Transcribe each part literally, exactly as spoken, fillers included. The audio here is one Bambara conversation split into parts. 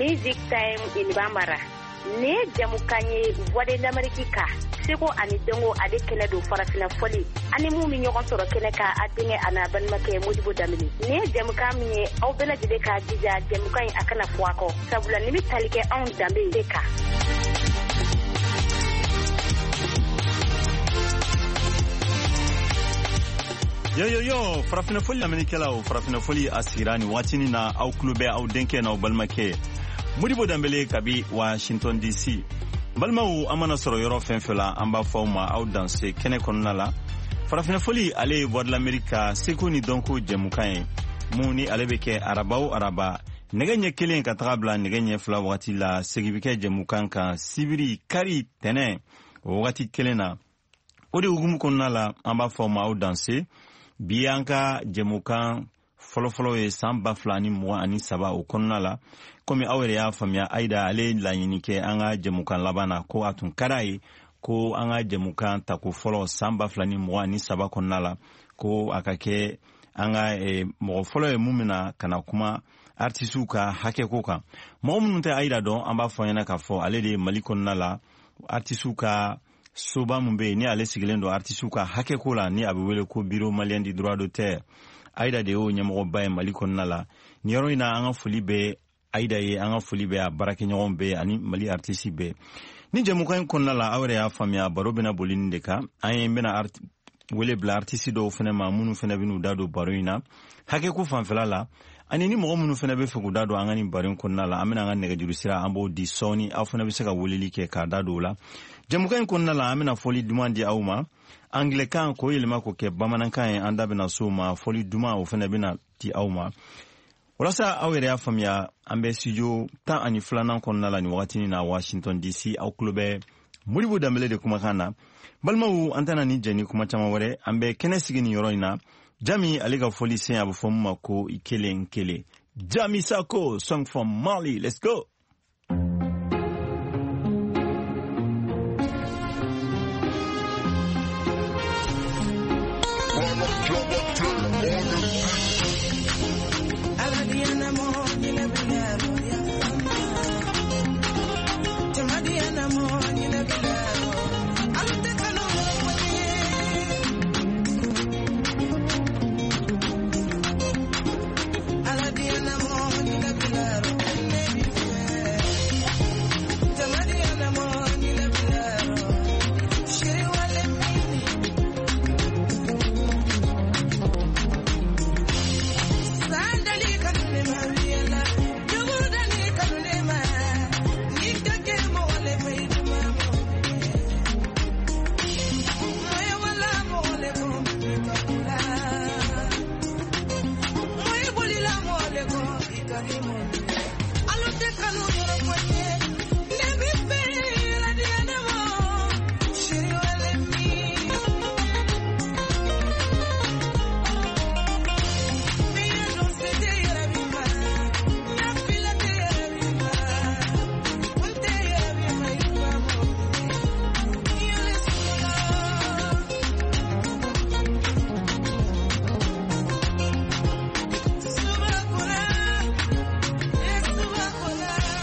Music Time in Bambara. Nin ye jamukan ye Voix de l'Amérique kan, seko ani dɔnko ale kɛnɛ don, farafinna fɔli ani mun bɛ ɲɔgɔn sɔrɔ kɛnɛ kan, a denkɛ a n'a balimakɛ Modibo Danbele. Nin ye jamukan min ye, aw bɛɛ lajɛlen k'a jija jamukan in a kana fɔ a kɔ, sabula nin bɛ tali kɛ anw danbe de kan. Yo yo yo, farafinna fɔli lamɛnnikɛlaw, farafinna fɔli a sigira nin waatinin na, aw tulo bɛ aw denkɛ n'aw balimakɛ Modibo Danbele kabi Washington D C. Balimaw, an mana sɔrɔ yɔrɔ fɛn fɛn la, an b'a fɔ aw ma aw danse kɛnɛ kɔnɔna la. Farafinna fɔli, ale ye Voix de l'Amérique ka seko ni dɔnko jɛmukan ye mun ni ale bɛ kɛ araba o araba nɛgɛ ɲɛ kelen ka taga bila nɛgɛ ɲɛ fila wagati la. Segi bɛ kɛ jɛmukan kan sibiri, kari, tɛnɛ o wagati kelen na. O de hukumu kɔnɔna la, an b'a fɔ aw ma aw danse. Bi an ka jɛmukan fɔlɔfɔlɔ ye san ba fila ni mugan ani saba o kɔnɔna la. Komi aw yɛrɛ y'a faamuya, Ayida ale ye laɲini kɛ an ka jɛmukan laban na ko a tun ka d'a ye ko an ka jɛmukan tako fɔlɔ san ba fila ni mugan ani saba kɔnɔna la, ko a ka kɛ an ka eh, mɔgɔ fɔlɔ ye mun bɛna ka na kuma artisiw ka hakɛko kan. Mɔgɔ minnu tɛ Ayida dɔn, an b'a fɔ ɲɛna k'a fɔ ale de ye Mali kɔnɔna la artisiw ka soba mun bɛ yen ni ale sigilen don artisiw ka hakɛko la, ni a bɛ wele ko Bureau malien du droit d'auteur. Ayida de y'o ɲɛmɔgɔba ye Mali kɔnɔna la nin yɔrɔ in na. An ka foli bɛ Ayida ye, an ka foli bɛ a baarakɛɲɔgɔn bɛɛ ani Mali artisi bɛɛ. Ni jɛmukan in kɔnɔna la, aw yɛrɛ y'a faamuya, baro bɛna boli nin de kan. An ye bɛna wele bila artisi dɔw fɛnɛ ma minnu fɛnɛ bɛn'u da don baro in na hakɛko fanfɛla la, ani ni mɔgɔ minnu fɛnɛ bɛ fɛ k'u da don an ka nin baro in kɔnɔna la, an bɛna an ka nɛgɛjuru sira an b'o di sɔɔni, aw fɛnɛ bɛ se ka weleli kɛ k'a da don o la. Jɛmukan in kɔnɔna la, an bɛna fɔli duman di aw ma, angilɛkan k'o yɛlɛma k'o kɛ bamanankan ye, an da bɛna s'o ma. Fɔli duman o fɛnɛ bɛna di aw ma. Walasa aw yɛrɛ y'a faamuya, an bɛ studio tan ani filanan kɔnɔna la nin wagatinin na Washington D C. Aw tulo bɛ Modibo Danbele de kumakan na. Balimaw, an tɛna ni jɛ ni kuma caman wɛrɛ, an bɛ kɛnɛ sigi nin yɔrɔ in na. Jami ale ka fɔli sen, a bɛ fɔ min ma ko i kelen kelen, Jami Sako, song from Mali. Let's go.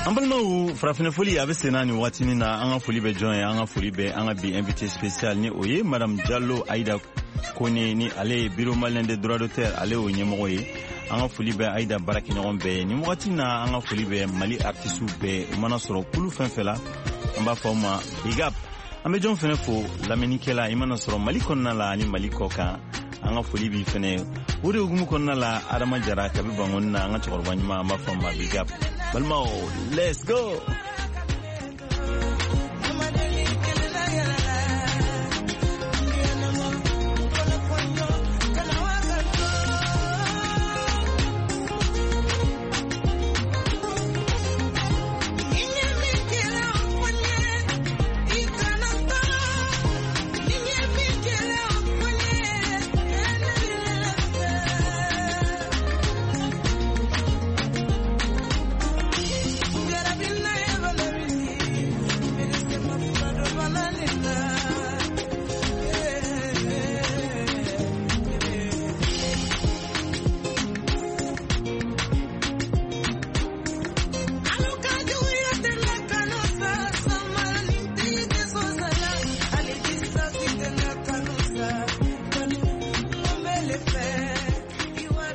An balimaw, farafinna foli a bɛ senna nin waatinin na. An ka foli bɛ jɔn ye? An ka foli bɛ an ka bi invité spécial, ni o ye madame Jalo Ayida Kone, ni ale ye Bureau malien des droits d'auteur, ale y'o ɲɛmɔgɔ ye. An ka foli bɛ Ayida baarakɛɲɔgɔn bɛɛ ye nin wagati na. An ka foli bɛ Mali artisiw bɛɛ, u mana sɔrɔ kulu fɛn fɛn la, an b'a fɔ aw ma big up. An bɛ jɔn fɛnɛ fo? Lamɛnnikɛla, i mana sɔrɔ Mali kɔnɔna la ani Mali kɔ kan, an ka foli b'i fɛnɛ. O de hukumu kɔnɔna la, Adama Jara kabi Bangoni na, an ka cɛkɔrɔba ɲuman, an b'a fɔ ma big up. Balimaw, let's go. Never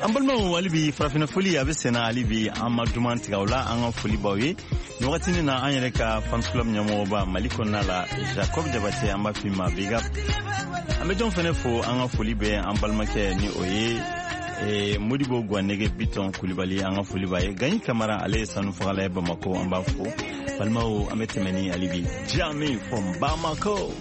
An balimaw, hali bi farafinna foli a bɛ senna, hali bi an ma duman tigɛ o la. An ka foli b'aw ye nin wagatinin na. An yɛrɛ ka fans club ɲɛmɔgɔba Mali kɔnɔna la, Jacob Jabate, an b'a f'i ma big up. An bɛ jɔn fɛnɛ fo? An ka foli bɛ an balimakɛ ni o ye eh, Modibo Guwanege Bitɔn Kulibali, an ka foli b'a ye. Gaɲi Kamara, ale ye sanu fagala ye Bamako, an b'a fo. Balimaw, an bɛ tɛmɛ ni hali bi Jami from Bamako.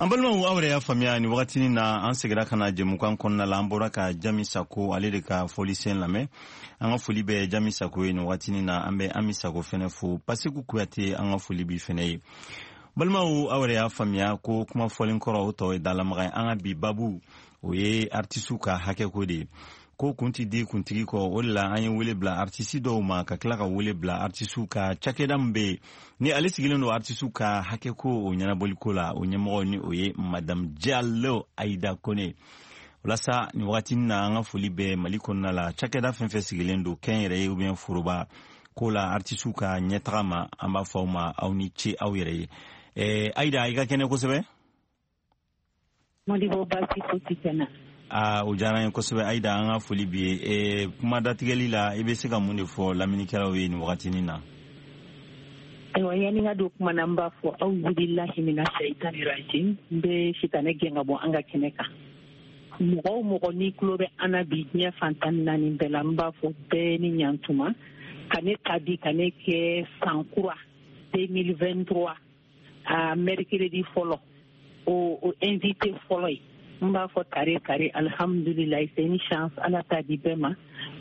An balimaw, aw yɛrɛ y'a faamuya, ni wagatinin na an segira ka na jɛmukan kɔnɔna la. An bɔra ka Jami Sako, ale de ka fɔlisen lamɛn. An ka foli bɛ Jami Sako ye nin wagatinin na. An bɛ Ami Sako fɛnɛ fo, Pasiku Kuyate, an ka foli bi fɛnɛ ye. Balimaw, aw yɛrɛ y'a faamuya ko kuma fɔlen kɔrɔ, o tɔ ye dalamaga ye. An ka bi babu, o ye artisiw ka hakɛko de ye, ko kun ti di kuntigi kɔ. O de la an ye wele bila artisi dɔw ma, ka tila ka wele bila artisiw ka cakɛda min bɛ yen ni ale sigilen don artisiw ka hakɛko o ɲɛnabɔliko la, o ɲɛmɔgɔ ni o ye Madame Jalo Ayida Kone. Walasa nin wagatinin na, an ka foli bɛ Mali kɔnɔna la, cakɛda fɛn fɛn sigilen don kɛnyɛrɛye ye ou bien foroba ko la artisiw ka ɲɛtaga ma, an b'a fɔ aw ma aw ni ce aw yɛrɛ ye. eh, Ayida, i ka kɛnɛ kosɛbɛ. Modibo, baasi fosi tɛ na. Aa, o diyara n ye kosɛbɛ Ayida, an ka foli bi ye. eh, kuma datigɛli la, i bɛ se ka mun de fɔ lamɛnnikɛlaw ye nin wagatinin na? Ayiwa, yanni n ka don kuma na, n b'a fɔ awuzubilahi mina shaitani rajim. N bɛ sitanɛ gɛn ka bɔ an ka kɛnɛ kan. Mɔgɔ o mɔgɔ n'i tulo bɛ an na bi, diɲɛ fan tan ni naani bɛɛ la, n b'a fɔ bɛɛ ni ɲantuma ka ne ta bi ka ne kɛ san kura deux mille vingt-trois a mercredi fɔlɔ, o o invité fɔlɔ ye. N b'a fɔ tare tare, alhamdulilayi, c'est une chance, Ala t'a di bɛɛ ma.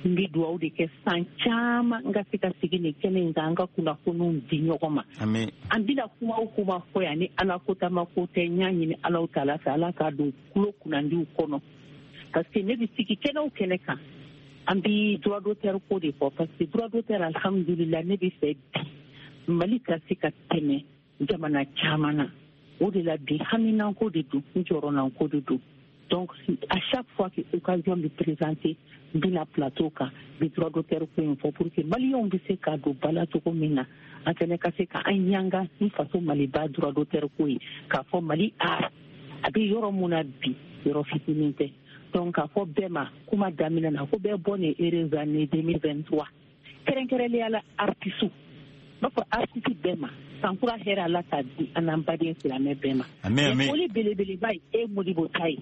N bɛ dugawu de kɛ san caman n ka se ka sigi nin kɛnɛ in kan, an ka kunnafoniw di ɲɔgɔn ma. Ami. An bɛna kuma o kuma fɔ yan, ni Ala ko tama ko tɛ, n y'a ɲini Alaw taala fɛ, Ala k'a don tulo kunnandiw kɔnɔ, parce que ne bɛ sigi kɛnɛ o kɛnɛ kan, an bɛ droit d'auteur ko de fɔ, parce que droit d'auteur, alhamdulilayi, ne bɛ fɛ bi Mali ka se ka tɛmɛ jamana caman na. O de la bi haminanko de don, n jɔrɔnanko de don. Donc à chaque fois que occasion bɛ présenter, n bɛna plateau kan, n bɛ droit d'auteur ko in fɔ pour que maliyɛnw bɛ se k'a don ba la cogo min na, an fɛnɛ ka se ka an ɲanga ni faso Maliba droit d'auteur ko ye, k'a fɔ Mali art a bɛ yɔrɔ mun na bi, yɔrɔ fitinin tɛ. Donc k'a fɔ bɛɛ ma kuma daminɛ na ko bɛɛ bonne et heureuse année deux mille vingt-trois, kɛrɛnkɛrɛnnenya la artiste, n b'a fɔ artiste bɛɛ ma, sankura hɛrɛ, Ala k'a di an n'an baden silamɛ bɛɛ ma. Ami, ami. Foli belebeleba ye e Modibo ta ye,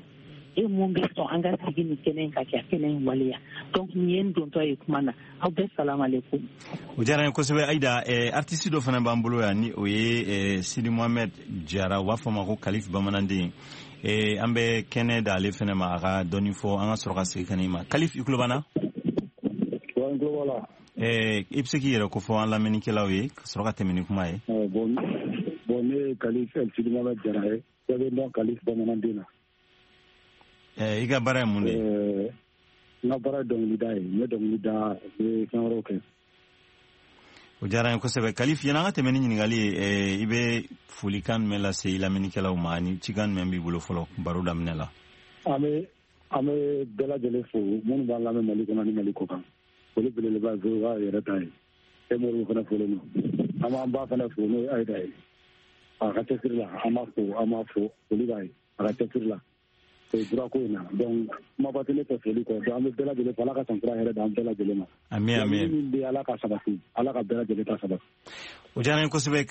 e mun bɛ sɔn an ka sigi nin kɛnɛ in ka kɛ a kɛnɛ in waleya. Donc nin ye n dontɔ ye kuma na. Aw bɛɛ salamalekun. O diyara n ye kosɛbɛ Ayida. eh, artiste dɔ fana b'an bolo yan ni o ye eh, Sidi Mohamed Jara, u b'a fɔ a ma ko Kalif Bamananden. eh, an bɛ kɛnɛ d'ale fɛnɛ ma, a ka dɔɔni fɔ, an ka sɔrɔ ka segin ka na i ma. Kalif, i tulo b'an na? Wa, n tulo b'a la. eh, i bɛ se k'i yɛrɛ kofɔ an lamɛnnikɛlaw ye, ka sɔrɔ ka tɛmɛ ni kuma ye. Eh, bon bon ne ye Kalif El Sidi Mohamed Jara ye, bɛɛ bɛ n dɔn Kalif Bamananden na. eh, i ka baara ye mun de ye? Eh, n ka baara ye dɔnkilida ye, n bɛ dɔnkili da, n bɛ fɛn wɛrɛw kɛ. O diyara n ye kosɛbɛ Kalif. Yanni an ka tɛmɛ ni ɲininkali ye, eh, i bɛ folikan jumɛn lase i lamɛnnikɛlaw ma, ani cikan jumɛn b'i bolo fɔlɔ baro daminɛ la? An bɛ an bɛ bɛɛ lajɛlen fo minnu b'an lamɛn Mali kɔnɔ ni Mali kɔ kan. Foli belebeleba ye V O A yɛrɛ ta ye. E Moribo fana folen don. An b'an ba fana fo, n'o ye Ayida ye, a ka cɛsiri la. An b'a fo, an b'a fo, foli b'a ye a ka cɛsiri la o droit ko in na. Donc kumaba tɛ ne fɛ foli kɔ. Donc an bɛ bɛɛ lajɛlen fo, Ala ka san kura hɛrɛ d'an bɛɛ lajɛlen ma. Ami, ami. Laɲini min bɛ, Ala ka sabati, Ala ka bɛɛ lajɛlen ta sabati. O diyara n ye kosɛbɛ.